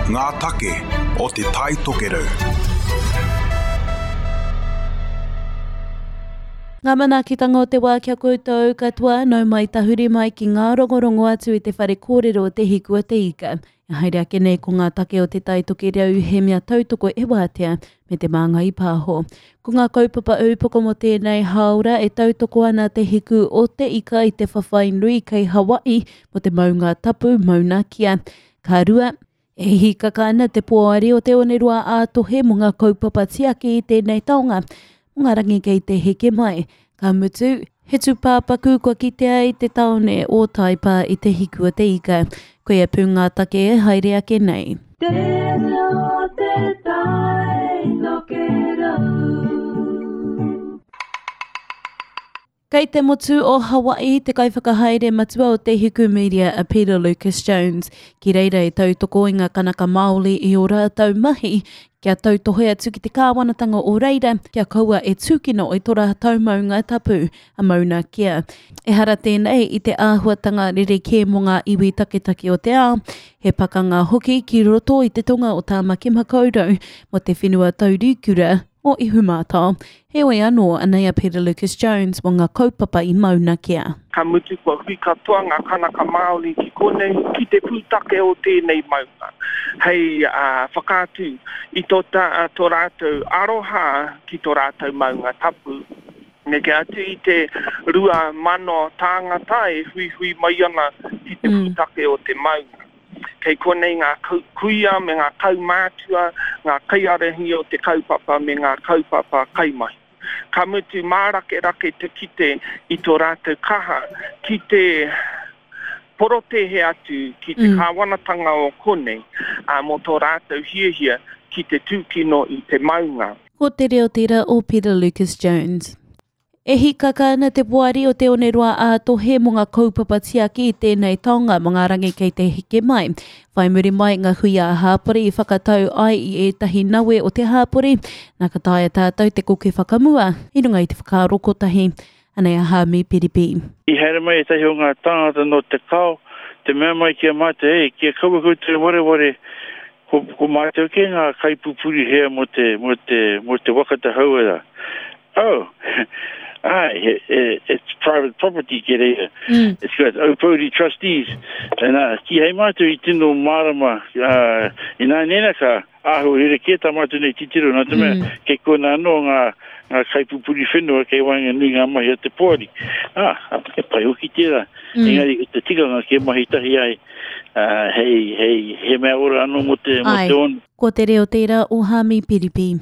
Ngā take o Te Tai Tokerau. Ngā manaakitanga o te wā ki a koutou katoa, nau mai tahuri mai ki ngā rongorongo atu i te whare kōrero o Te Hiku a Te Ika. E haere ake nei ko ngā take o Te Tai Tokerau he mea tautoko e Wātea me Te Māngai Pāho. Ko ngā kaupapa ūpoko mō tēnei hāora e tautoko ana Te Hiku o Te Ika i te whawhai nui kei Hawaii mō te maunga tapu Mauna Kea. Ka rua, e hīkaka ana te poari o Te Oneroa ā-Tohe mō ngā kaupapa tiaki i tēnei taonga, mō ngā rangi kei te heke mai. Ka mutu, he tūpāpaku kua kitea i te tāone o Taipā i Te Hiku o Te Ika. Koia pū ngā take e haere ake nei. Te reo te tai tokerau. Kei te motu o Hawaii te kaiwhakahaere matua o Te Hiku Media a Peter Lucas Jones, ki reira e tautoko i ngā Kanaka Māoli i ō rātou mahi kia tautohe atu ki te kāwanatanga o reira kia kaua e tūkino i tō rātou maunga tapu, a Mauna Kea. Ehara tēnei i te āhuatanga rerekē mō ngā iwi taketake o te ao, he pakanga hoki ki roto i te tonga o Tāmaki Makaurau mō te whenua taurikura o Ihumātao. Heoi anō, anei a Peter Lucas Jones mō ngā kaupapa i Mauna Kea. Ka mutu kua hui katoa ngā Kanaka Māori ki konei, ki te pūtake o tēnei maunga, hei whakaatu i tō rātou aroha ki tō rātou maunga tapu. Neke atu i te 2,000 tāngata e huihui mai ana ki te pūtake o te maunga. Kei konei ngā kuia me ngā kaumātua, ngā kaiārahi o te kaupapa me ngā kaupapa kaimahi. Ka mutu mārakerake te kite i tō rātou kaha ki te porotēhe atu ki te kāwanatanga o konei mō tō rātou hiahia ki te tūkino i te maunga. Ko te reo tērā o Peter Lucas Jones. E hīkaka ana te Poari o Te Oneroa ā-Tohe mō ngā kaupapa tiaki i tēnei taonga mō ngā rangi kei te heke mai. Whai muri mai ngā hui ā-hāpori i whakatau ai i ētahi nawe o te hāpori, nā ka taea tātou te koke whakamua i runga i te whakaaro kotahi. Anei a Haami Piripi. I haere mai ētahi o ngā tāngata nō Te Kao te mea mai ki a mātou, Ei, kia kaua koutou e wareware, ko, ko mātou kē ngā kaipupuri hea mō te, mō te, mō te waka te hauora. Oh, āe, he, he, it's private property ki reira. Mm. It's got Aupōuri trustees. Nā, kīhai mātou i tino mārama, uh, ināianei ka āhua rerekē tā mātou nei titiro, nā te mea, mm. kei kona anō ngā, ngā kaipupuri whenua kei waenganui ngā mahi a te poari. Ah, e pai hoki tērā. Mm. Engari, ko te tikanga kia mahi tahi ai, uh, hei, hei, he mea ora anō mō te, mō te one. Ko te reo tērā o Hāmi Piripi.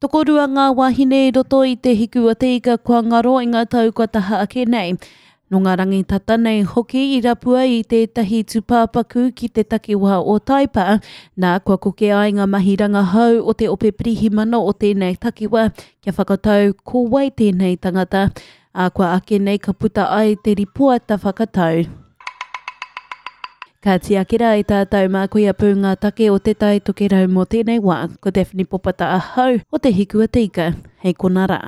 Tokorua ngā wāhine i roto i Te Hiku o Te Ika kua ngaro i ngā tau kua taha ake nei. Nō ngā rangi tata nei hoki i rapua i tētahi tūpāpaku ki te takiwā o Taipa, nā, kua koke ai ngā mahi rangahau o te ope pirihimana o tēnei takiwā kia whakatau ko wai tēnei tangata, ā, kua ake nei ka puta ai te ripoata whakatau. Ka tiaki rā i tātou mā koia pū ngā take o Te Tai Tokerau mō tēnei wā. Ko Daphne Popata ahau o Te Hiku a Te Ika, hei kona rā.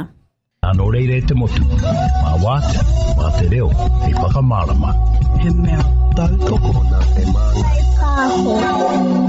Nō reira e te motu, mā Wātea, mā te reo hei whakamārama. He mea tautoko nā Te Māngai Pāho.